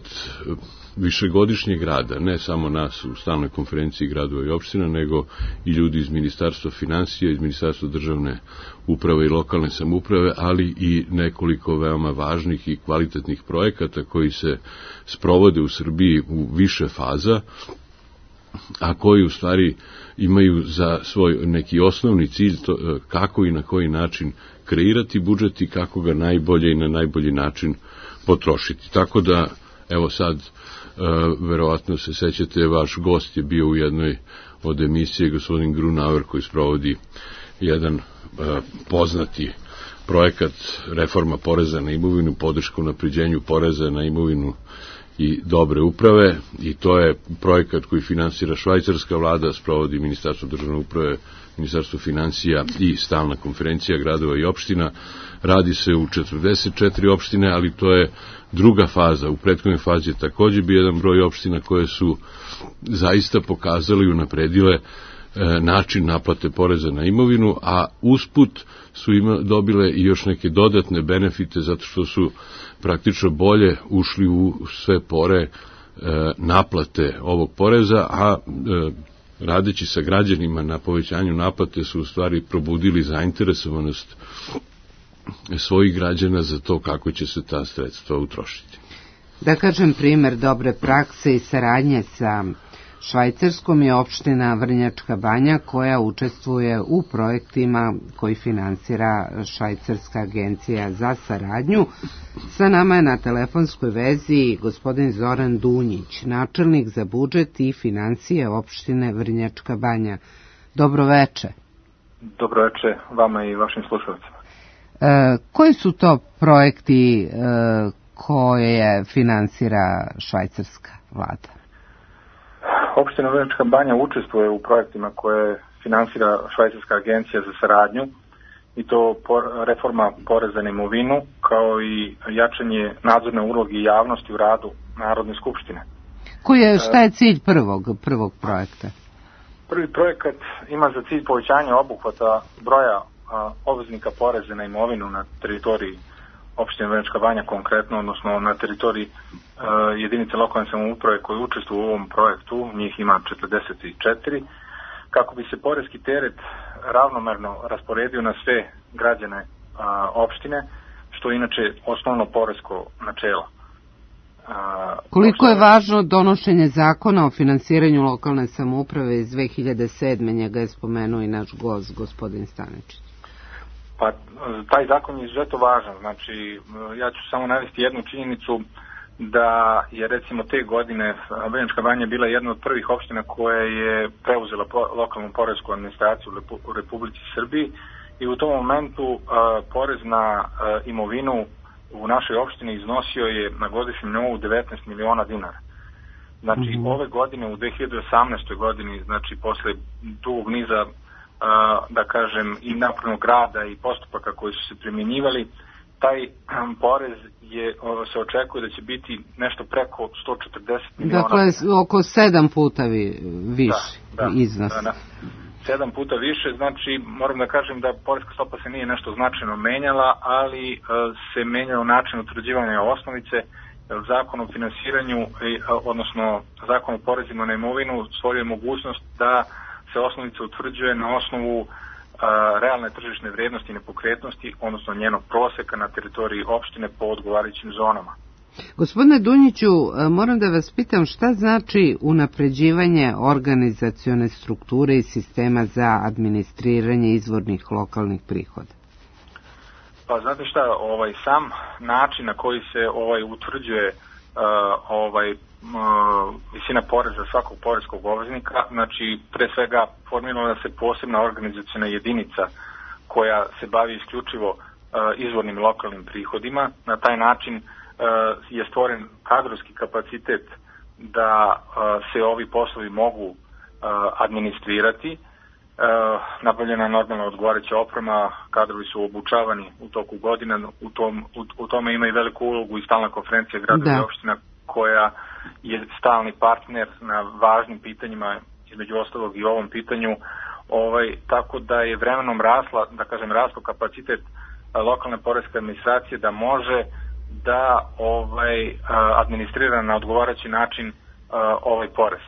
višegodišnjeg rada, ne samo nas u Stalnoj konferenciji gradova i opština, nego i ljudi iz Ministarstva finansija, iz Ministarstva državne uprave i lokalne samouprave, ali i nekoliko veoma važnih i kvalitetnih projekata koji se sprovode u Srbiji u više faza, a koji u stvari imaju za svoj neki osnovni cilj to, kako i na koji način kreirati budžet i kako ga najbolje i na najbolji način potrošiti. Tako da, evo sad, e, verovatno se sećate, vaš gost je bio u jednoj od emisije, gospodin Grunauer, koji sprovodi jedan e, poznati projekat reforma poreza na imovinu, podrška unapređenju poreza na imovinu i dobre uprave, i to je projekat koji finansira švajcarska vlada, sprovodi Ministarstvo državne uprave, Ministarstvo finansija i Stalna konferencija gradova i opština. Radi se u četrdeset četiri opštine, ali to je druga faza. U prethodnoj fazi je takođe bio jedan broj opština koje su zaista pokazali i unapredile e, način naplate poreza na imovinu, a usput su ima, dobile i još neke dodatne benefite zato što su praktično bolje ušli u sve pore e, naplate ovog poreza, a e, radeći sa građanima na povećanju naplate su u stvari probudili zainteresovanost svojih građana za to kako će se ta sredstva utrošiti. Da kažem, primer dobre prakse i saradnje sa Švajcarskom je opština Vrnjačka Banja koja učestvuje u projektima koji finansira Švajcarska agencija za saradnju. Sa nama je na telefonskoj vezi gospodin Zoran Dunjić, načelnik za budžet i financije opštine Vrnjačka Banja. Dobro veče. Dobro veče vama i vašim slušalcima. E, koji su to projekti e, koje finansira švajcarska vlada? Opština Vrnjačka Banja učestvuje u projektima koje finansira Švajcarska agencija za saradnju, i to reforma poreza na imovinu, kao i jačanje nadzorne uloge i javnosti u radu Narodne skupštine. Koji je, šta je cilj prvog, prvog projekta? Prvi projekat ima za cilj povećanje obuhvata broja a, obveznika poreza na imovinu na teritoriji opštine Vrnjačka Banja konkretno, odnosno na teritoriji a, jedinice lokalne samouprave koje učestvuju u ovom projektu, njih ima četrdeset četiri, kako bi se poreski teret ravnomerno rasporedio na sve građane a, opštine, što je inače osnovno poresko načelo. A, Koliko je važno donošenje zakona o finansiranju lokalne samouprave iz dve hiljade sedme. Njega je spomenuo i naš gost, gospodin Staničić. Pa, taj zakon je izuzetno važan. Znači, ja ću samo navesti jednu činjenicu da je recimo te godine Vrnjačka Banja bila jedna od prvih opština koja je preuzela lokalnu poresku administraciju u Republici Srbiji, i u tom momentu a, porez na a, imovinu u našoj opštini iznosio je na godišnjem nivou devetnaest miliona dinara. Znači, mm-hmm. ove godine, u dve hiljade osamnaestoj. godini, znači posle dugog niza, a, da kažem, i napravnog rada i postupaka koji su se primjenjivali, taj um, porez je, o, se očekuje da će biti nešto preko sto četrdeset miliona. Dakle, oko sedam puta vi, više da, da, iznos. Da, da. Sedam puta više, znači moram da kažem da poreska stopa se nije nešto značajno menjala, ali uh, se menjao način utvrđivanja osnovice. Zakon o finansiranju, uh, odnosno zakon o porezima na imovinu stvorio mogućnost da se osnovica utvrđuje na osnovu uh, realne tržišne vrijednosti i nepokretnosti, odnosno njenog proseka na teritoriji opštine po odgovarajućim zonama. Gospodine Dunjiću, moram da vas pitam šta znači unapređivanje organizacione strukture i sistema za administriranje izvornih lokalnih prihoda? Pa znate šta, ovaj sam način na koji se ovaj utvrđuje uh, ovaj uh, visina poreza svakog poreskog obveznika, znači pre svega formirala se posebna organizaciona jedinica koja se bavi isključivo uh, izvornim lokalnim prihodima. Na taj način je stvoren kadrovski kapacitet da se ovi poslovi mogu administrirati. Nabavljena normalna odgovarajuća oprema, kadrovi su obučavani u toku godina, u, tom, u, u tome ima i veliku ulogu i stalna konferencija gradova i opština koja je stalni partner na važnim pitanjima, između ostalog i ovom pitanju, ovaj, tako da je vremenom rasla, da kažem, raslo kapacitet lokalne poreske administracije da može da ovaj administrira na odgovarajući način ovaj porez.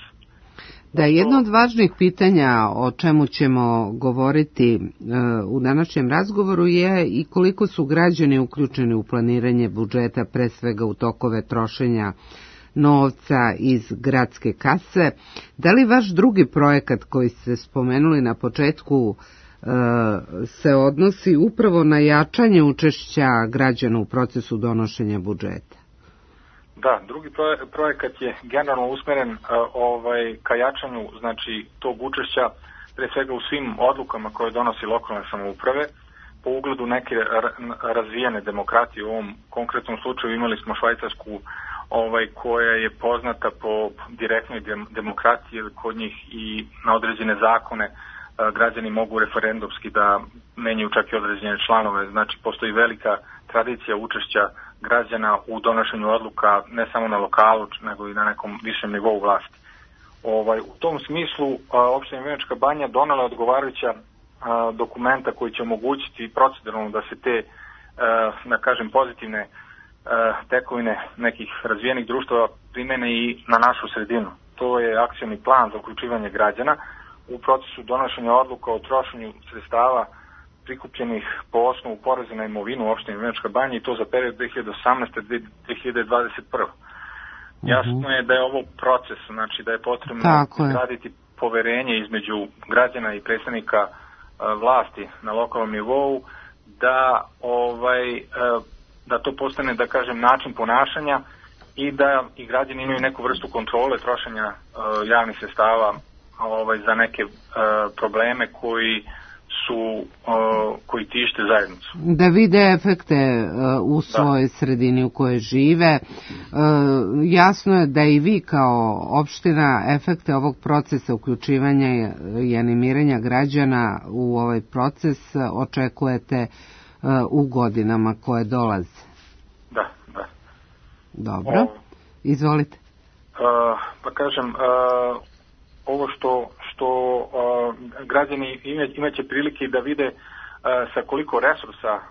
Da, jedno od važnih pitanja o čemu ćemo govoriti u današnjem razgovoru je i koliko su građani uključeni u planiranje budžeta, pre svega u tokove trošenja novca iz gradske kase. Da li vaš drugi projekat koji ste spomenuli na početku se odnosi upravo na jačanje učešća građana u procesu donošenja budžeta? Da, drugi projekat je generalno usmeren uh, ovaj, ka jačanju, znači, tog učešća pre svega u svim odlukama koje donosi lokalne samouprave po ugledu neke razvijene demokratije. U ovom konkretnom slučaju imali smo Švajcarsku ovaj, koja je poznata po direktnoj demokratiji, kod njih i na određene zakone građani mogu referendumski da menjaju čak i određene članove. Znači, postoji velika tradicija učešća građana u donošenju odluka ne samo na lokalu, nego i na nekom višem nivou vlasti. Ovaj, u tom smislu opština Vrnjačka Banja donela odgovarajuća a, dokumenta koji će omogućiti proceduralno da se te, a, da kažem, pozitivne a, tekovine nekih razvijenih društava primene i na našu sredinu. To je akcioni plan za uključivanje građana u procesu donošenja odluka o trošenju sredstava prikupljenih po osnovu poreza na imovinu u opštini Vrnjačka Banja i to za period dve hiljade osamnaeste do dve hiljade dvadeset prve. Uh-huh. Jasno je da je ovo proces, znači da je potrebno graditi poverenje između građana i predstavnika uh, vlasti na lokalnom nivou, da ovaj uh, da to postane, da kažem, način ponašanja i da i građani imaju neku vrstu kontrole trošenja uh, javnih sredstava ovaj, za neke uh, probleme koji su uh, koji tište zajednicu. Da vide efekte uh, u svojoj da. sredini u kojoj žive. Uh, jasno je da i vi kao opština efekte ovog procesa uključivanja i animiranja građana u ovaj proces očekujete uh, u godinama koje dolaze. Da, da. Dobro. O, Izvolite. Uh, pa kažem, uh, ovo što, što uh, građani imaće prilike da vide uh, sa koliko resursa uh,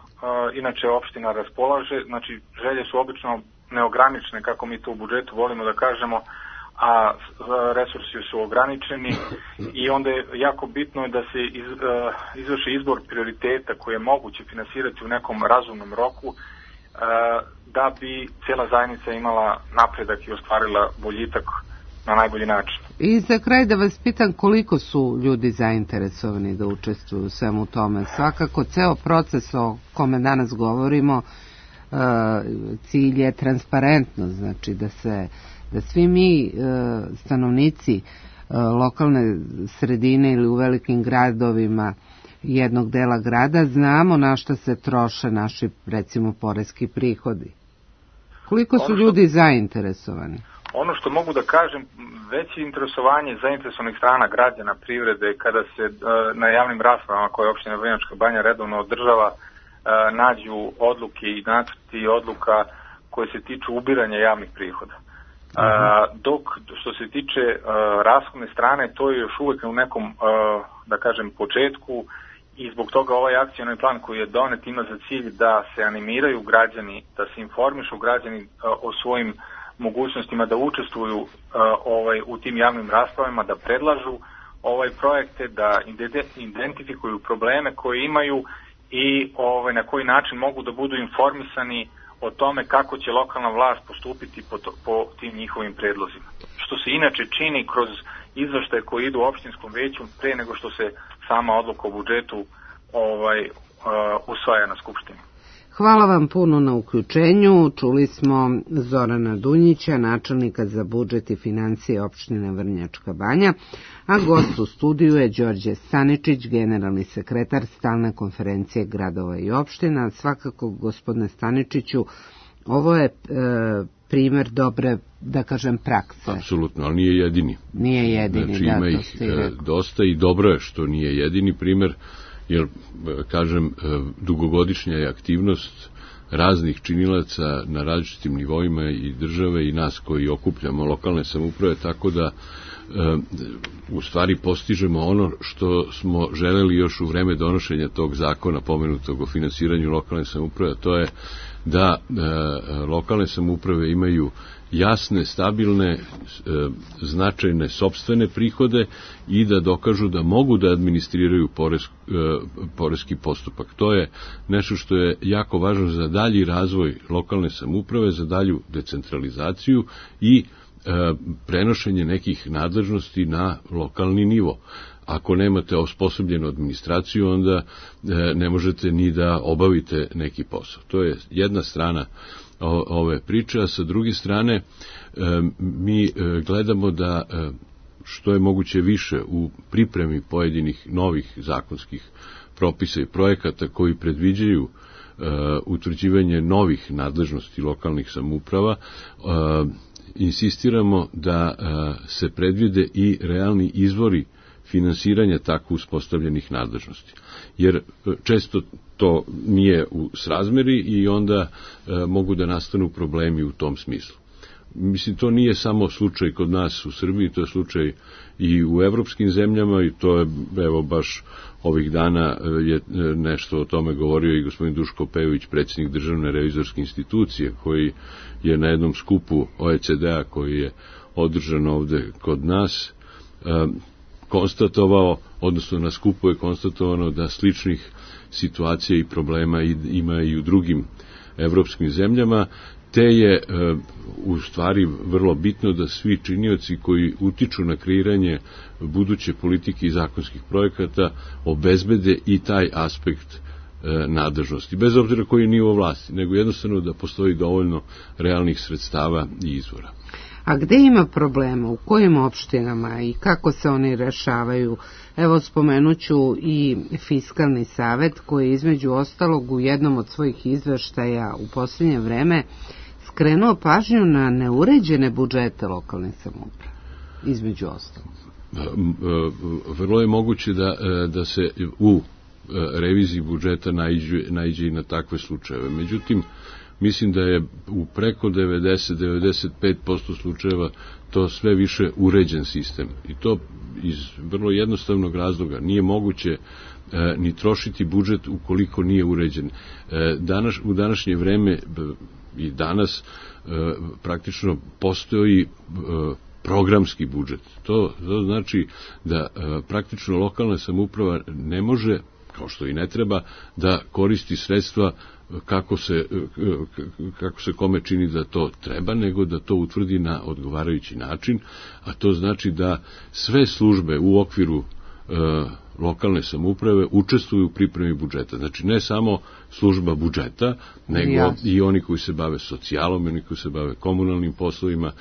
inače opština raspolaže, znači želje su obično neograničene, kako mi to u budžetu volimo da kažemo, a resursi su ograničeni i onda je jako bitno da se iz, uh, izvrši izbor prioriteta koje je moguće finansirati u nekom razumnom roku, uh, da bi cijela zajednica imala napredak i ostvarila boljitak na najbolji način. I za kraj da vas pitam koliko su ljudi zainteresovani da učestvuju u svemu tome. Svakako ceo proces o kome danas govorimo, cilj je transparentno, znači da se da svi mi stanovnici lokalne sredine ili u velikim gradovima jednog dela grada znamo na što se troše naši, recimo, poreski prihodi. Koliko su ljudi zainteresovani? Ono što mogu da kažem, veće interesovanje zainteresovanih strana građana, privrede, kada se uh, na javnim raspravama koje opština Vrnjačka Banja redovno održava, uh, nađu odluke i nacrti odluka koje se tiču ubiranja javnih prihoda. Uh, dok što se tiče uh, rashodne strane, to je još uvek u nekom, uh, da kažem, početku i zbog toga ovaj akcioni plan koji je donet ima za cilj da se animiraju građani, da se informišu građani uh, o svojim mogućnostima da učestvuju uh, ovaj u tim javnim raspravama, da predlažu ovaj projekte, da identifikuju probleme koje imaju i ovaj na koji način mogu da budu informisani o tome kako će lokalna vlast postupiti po, to, po tim njihovim predlozima. Što se inače čini kroz izveštaje koji idu u opštinskom veću pre nego što se sama odluka o budžetu ovaj uh, usvaja na skupštini. Hvala vam puno na uključenju. Čuli smo Zorana Dunjića, načelnika za budžet i financije opštine Vrnjačka Banja, a gost u studiju je Đorđe Staničić, generalni sekretar Stalne konferencije gradova i opština. Svakako, gospodine Staničiću, ovo je e, primer dobre, da kažem, prakse. Apsolutno, ali nije jedini. Nije jedini, znači, da, ima to ih ste i rekli. Dosta i dobro je što nije jedini primer, jer, kažem, dugogodišnja je aktivnost raznih činilaca na različitim nivoima i države i nas koji okupljamo lokalne samouprave, tako da u stvari postižemo ono što smo želeli još u vreme donošenja tog zakona pomenutog o finansiranju lokalne samouprave, to je da lokalne samouprave imaju jasne, stabilne, značajne sopstvene prihode i da dokažu da mogu da administriraju poreski postupak. To je nešto što je jako važno za dalji razvoj lokalne samouprave, za dalju decentralizaciju i prenošenje nekih nadležnosti na lokalni nivo. Ako nemate osposobljenu administraciju, onda ne možete ni da obavite neki posao. To je jedna strana ove priče, a sa druge strane mi gledamo da što je moguće više u pripremi pojedinih novih zakonskih propisa i projekata koji predviđaju utvrđivanje novih nadležnosti lokalnih samouprava, insistiramo da se predvide i realni izvori finansiranja tako uspostavljenih nadležnosti. Jer često to nije u srazmeri i onda e, mogu da nastanu problemi u tom smislu. Mislim, to nije samo slučaj kod nas u Srbiji, to je slučaj i u evropskim zemljama i to je, evo, baš ovih dana je nešto o tome govorio i gospodin Duško Pejović, predsjednik Državne revizorske institucije, koji je na jednom skupu O E C D-a koji je održan ovde kod nas, e, konstatovao, odnosno na skupu je konstatovano da sličnih situacija i problema ima i u drugim evropskim zemljama, te je u stvari vrlo bitno da svi činioci koji utiču na kreiranje buduće politike i zakonskih projekata obezbede i taj aspekt nadležnosti, bez obzira koji je nivo vlasti, nego jednostavno da postoji dovoljno realnih sredstava i izvora. A gde ima problema, u kojim opštinama i kako se oni rešavaju? Evo, spomenuću i Fiskalni savet koji između ostalog u jednom od svojih izveštaja u posljednje vreme skrenuo pažnju na neuređene budžete lokalne samouprave, između ostalog. Vrlo je moguće da, da se u reviziji budžeta naiđe, naiđe i na takve slučajeve. Međutim, mislim da je u preko devedeset do devedeset pet posto slučajeva to sve više uređen sistem. I to iz vrlo jednostavnog razloga. Nije moguće e, ni trošiti budžet ukoliko nije uređen. E, danas, u današnje vreme e, i danas e, praktično postoji e, programski budžet. To, to znači da e, praktično lokalna samouprava ne može, kao što i ne treba, da koristi sredstva kako se, kako se kome čini da to treba, nego da to utvrdi na odgovarajući način, a to znači da sve službe u okviru e, lokalne samouprave učestvuju u pripremi budžeta. Znači ne samo služba budžeta, nego Jasne. i oni koji se bave socijalom, oni koji se bave komunalnim poslovima,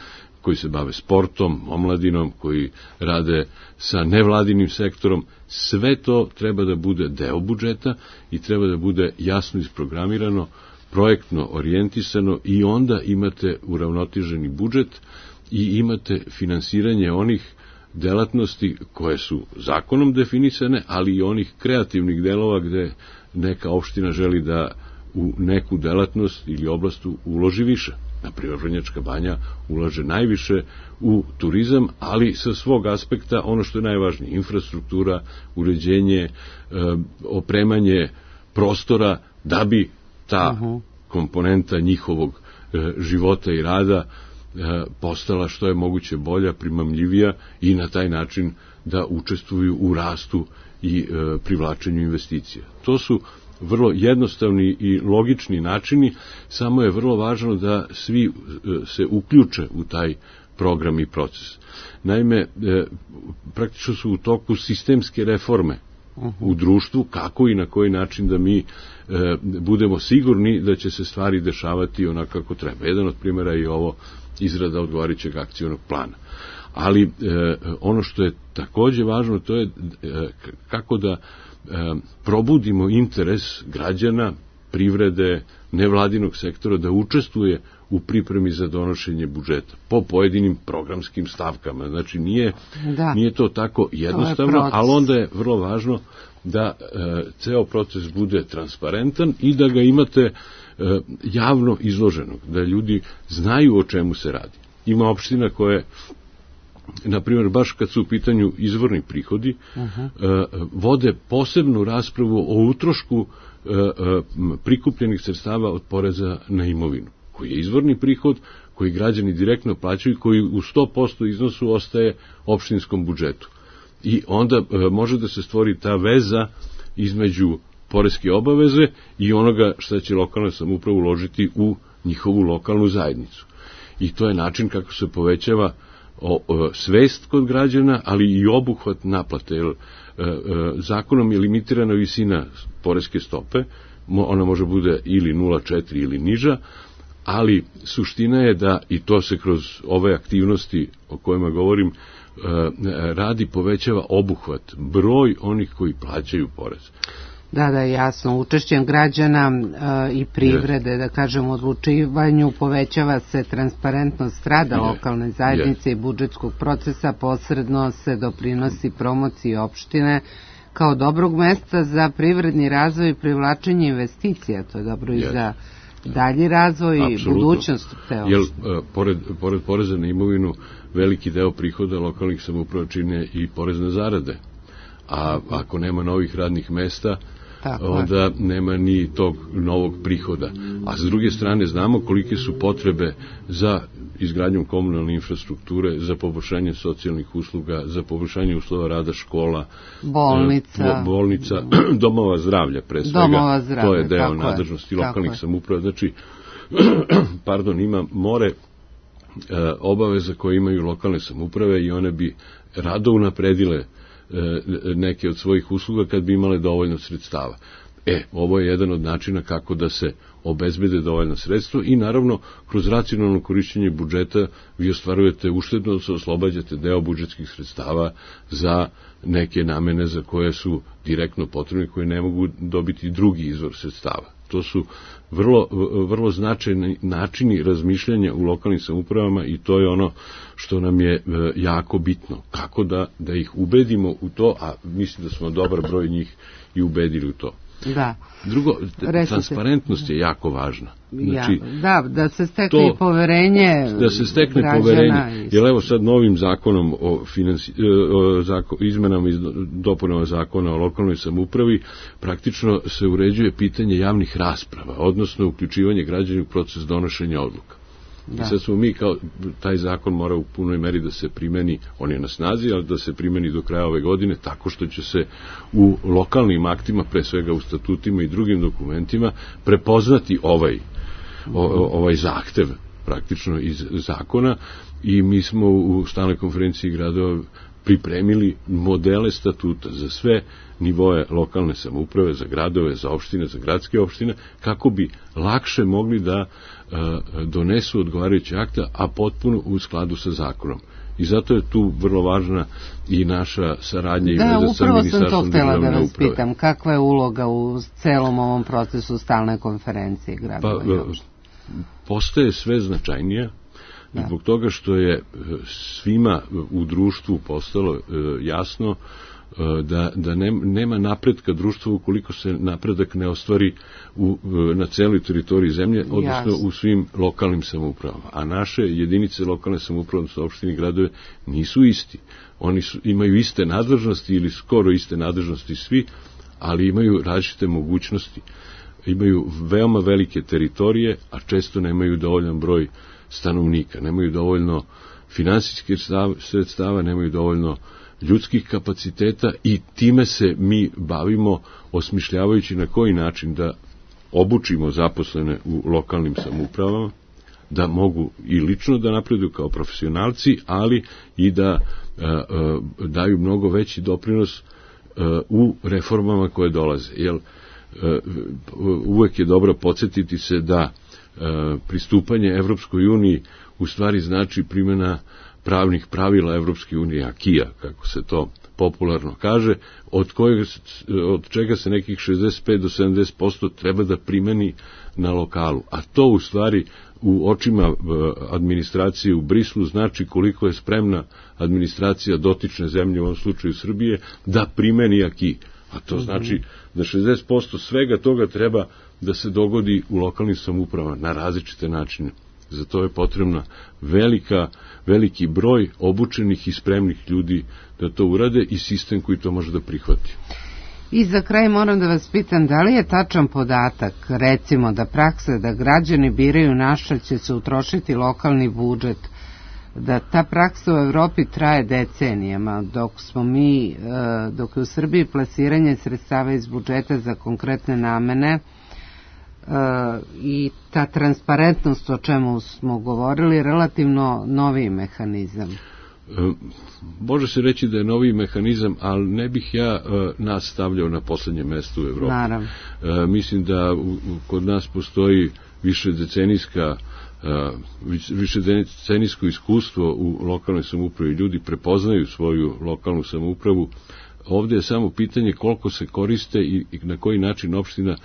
koji se bave sportom, omladinom, koji rade sa nevladinim sektorom, sve to treba da bude deo budžeta i treba da bude jasno isprogramirano, projektno orijentisano i onda imate uravnoteženi budžet i imate finansiranje onih delatnosti koje su zakonom definisane, ali i onih kreativnih delova gde neka opština želi da u neku delatnost ili oblast uloži više. Naprimjer, Vrnjačka Banja ulaže najviše u turizam, ali sa svog aspekta ono što je najvažnije, infrastruktura, uređenje, e, opremanje prostora, da bi ta uh-huh. komponenta njihovog e, života i rada e, postala što je moguće bolja, primamljivija i na taj način da učestvuju u rastu i e, privlačenju investicija. To su vrlo jednostavni i logični načini, samo je vrlo važno da svi se uključe u taj program i proces. Naime, praktično su u toku sistemske reforme u društvu, kako i na koji način da mi budemo sigurni da će se stvari dešavati onako kako treba. Jedan od primjera je ovo izrada odgovarajućeg akcionog plana. Ali ono što je takođe važno, to je kako da probudimo interes građana, privrede, nevladinog sektora da učestvuje u pripremi za donošenje budžeta po pojedinim programskim stavkama. Znači nije, da. nije to tako jednostavno, to ali onda je vrlo važno da e, ceo proces bude transparentan i da ga imate e, javno izloženog, da ljudi znaju o čemu se radi. Ima opština koje, na primjer, baš kad su u pitanju izvorni prihodi, uh-huh. uh, vode posebnu raspravu o utrošku uh, uh, prikupljenih sredstava od poreza na imovinu, koji je izvorni prihod, koji građani direktno plaćaju, koji u sto posto iznosu ostaje opštinskom budžetu. I onda uh, može da se stvori ta veza između poreske obaveze i onoga što će lokalna samouprava uložiti u njihovu lokalnu zajednicu. I to je način kako se povećava O, o, svest kod građana, ali i obuhvat naplate. Jer, e, e, zakonom je limitirana visina poreske stope, mo, ona može bude ili nula zarez četiri ili niža, ali suština je da, i to se kroz ove aktivnosti o kojima govorim, e, radi, povećava obuhvat, broj onih koji plaćaju porez. Da, da, jasno. Učešćem građana e, i privrede, yes. da kažem, u odlučivanju povećava se transparentnost rada yes. lokalne zajednice yes. i budžetskog procesa, posredno se doprinosi promociji opštine kao dobrog mesta za privredni razvoj i privlačenje investicija. To je dobro yes. i za dalji razvoj i budućnost te opštine. Jer, pored, pored poreza na imovinu, veliki deo prihoda lokalnih samouprava čine i porez na zarade. A ako nema novih radnih mesta, Tako onda je. nema ni tog novog prihoda. A s druge strane znamo kolike su potrebe za izgradnjom komunalne infrastrukture, za poboljšanje socijalnih usluga, za poboljšanje uslova rada škola, bolnica, bo, bolnica domova zdravlja pre svega. Domova zdravlja, to je deo tako nadležnosti je, lokalnih samouprava. Znači, pardon, ima more e, obaveza koje imaju lokalne samouprave i one bi rado unapredile e, neke od svojih usluga kad bi imale dovoljno sredstava. E, ovo je jedan od načina kako da se obezbede dovoljno sredstvo i naravno kroz racionalno korišćenje budžeta vi ostvarujete uštedno, se oslobađate deo budžetskih sredstava za neke namene za koje su direktno potrebne, koje ne mogu dobiti drugi izvor sredstava. To su vrlo, vrlo značajni načini razmišljanja u lokalnim samoupravama i to je ono što nam je jako bitno. Kako da, da ih ubedimo u to, a mislim da smo dobar broj njih i ubedili u to. Da. Drugo, Recite. transparentnost je jako važna. Znači, ja, da, da se stekne to, i poverenje da se stekne građana poverenje. I... Jer evo sad novim zakonom o, financi, o zako, izmenama i dopunama zakona o lokalnoj samoupravi praktično se uređuje pitanje javnih rasprava, odnosno uključivanje građana u proces donošenja odluka. Da. I sad smo mi kao, taj zakon mora u punoj meri da se primeni, on je na snazi, ali da se primeni do kraja ove godine, tako što će se u lokalnim aktima, pre svega u statutima i drugim dokumentima, prepoznati ovaj, o, ovaj zahtev praktično iz zakona i mi smo u stalnoj konferenciji gradova pripremili modele statuta za sve nivoe lokalne samouprave, za gradove, za opštine, za gradske opštine, kako bi lakše mogli da e, donesu odgovarajuće akta, a potpuno u skladu sa zakonom. I zato je tu vrlo važna i naša saradnja i veza sa Ministarstvom državne uprave. Da, upravo sam to htjela da vas pitam. Kakva je uloga u celom ovom procesu stalne konferencije gradova? Pa, postaje sve značajnija. Da. Zbog toga što je svima u društvu postalo jasno da, da nema napretka društva ukoliko se napredak ne ostvari u, na celoj teritoriji zemlje, odnosno Jasno. u svim lokalnim samoupravama. A naše jedinice lokalne samouprave, odnosno opštine i gradove, nisu isti. Oni su, imaju iste nadležnosti ili skoro iste nadležnosti svi, ali imaju različite mogućnosti. Imaju veoma velike teritorije, a često nemaju dovoljan broj stanovnika, nemaju dovoljno finansijskih sredstava, nemaju dovoljno ljudskih kapaciteta i time se mi bavimo osmišljavajući na koji način da obučimo zaposlene u lokalnim samoupravama, da mogu i lično da napreduju kao profesionalci, ali i da a, a, daju mnogo veći doprinos a, u reformama koje dolaze. Jer a, uvek je dobro podsjetiti se da a, pristupanje Evropskoj uniji u stvari znači primjena pravnih pravila Evropske unije, akija, kako se to popularno kaže, od, kojeg, od čega se nekih šezdeset pet do sedamdeset posto treba da primeni na lokalu. A to u stvari u očima administracije u Brislu znači koliko je spremna administracija dotične zemlje, u ovom slučaju Srbije, da primeni aki. A to znači da šezdeset posto svega toga treba da se dogodi u lokalnim samoupravama na različite načine. Za to je potrebna velika, veliki broj obučenih i spremnih ljudi da to urade i sistem koji to može da prihvati. I za kraj moram da vas pitam, da li je tačan podatak, recimo da praksa da građani biraju na šta će se utrošiti lokalni budžet, da ta praksa u Evropi traje decenijama, dok smo mi, dok je u Srbiji plasiranje sredstava iz budžeta za konkretne namene i ta transparentnost o čemu smo govorili relativno novi mehanizam. Može se reći da je novi mehanizam, ali ne bih ja nas stavljao na poslednje mesto u Evropi. Naravno. Mislim da kod nas postoji više decenijska više decenijsko iskustvo u lokalnoj samoupravi. Ljudi prepoznaju svoju lokalnu samoupravu. Ovde je samo pitanje koliko se koriste i na koji način opština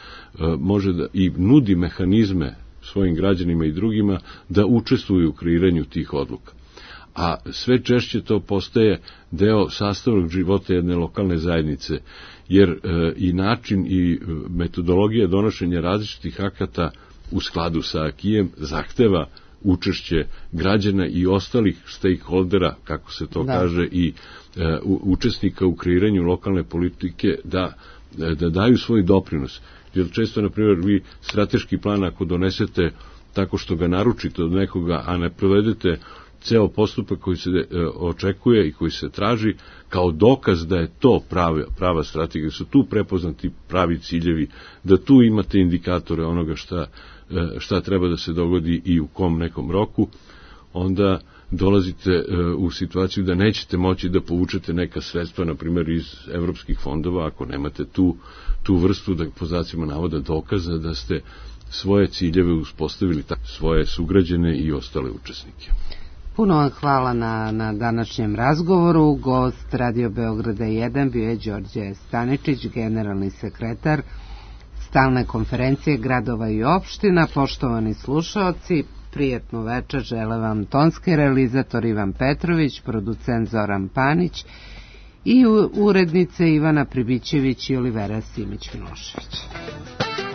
može da i nudi mehanizme svojim građanima i drugima da učestvuju u kreiranju tih odluka. A sve češće to postaje deo sastavnog života jedne lokalne zajednice, jer i način i metodologija donošenja različitih akata u skladu sa akijem zahteva učešće građana i ostalih stakeholdera, kako se to da. kaže, i e, u, učesnika u kreiranju lokalne politike da, da daju svoj doprinos. Jer često, na primjer, vi strateški plan ako donesete tako što ga naručite od nekoga, a ne provedete ceo postupak koji se e, očekuje i koji se traži kao dokaz da je to prava, prava strategija, da su tu prepoznati pravi ciljevi, da tu imate indikatore onoga šta, e, šta treba da se dogodi i u kom nekom roku, onda dolazite e, u situaciju da nećete moći da povučete neka sredstva, na primjer iz evropskih fondova, ako nemate tu, tu vrstu, da po znacima navoda, dokaza da ste svoje ciljeve uspostavili, svoje sugrađane i ostale učesnike. Puno vam hvala na, na današnjem razgovoru. Gost Radio Beograda jedan bio je Đorđe Staničić, generalni sekretar Stalne konferencije gradova i opština. Poštovani slušaoci, prijatnu večer žele vam tonski realizator Ivan Petrović, producent Zoran Panić i urednice Ivana Pribićević i Olivera Simić-Milošević.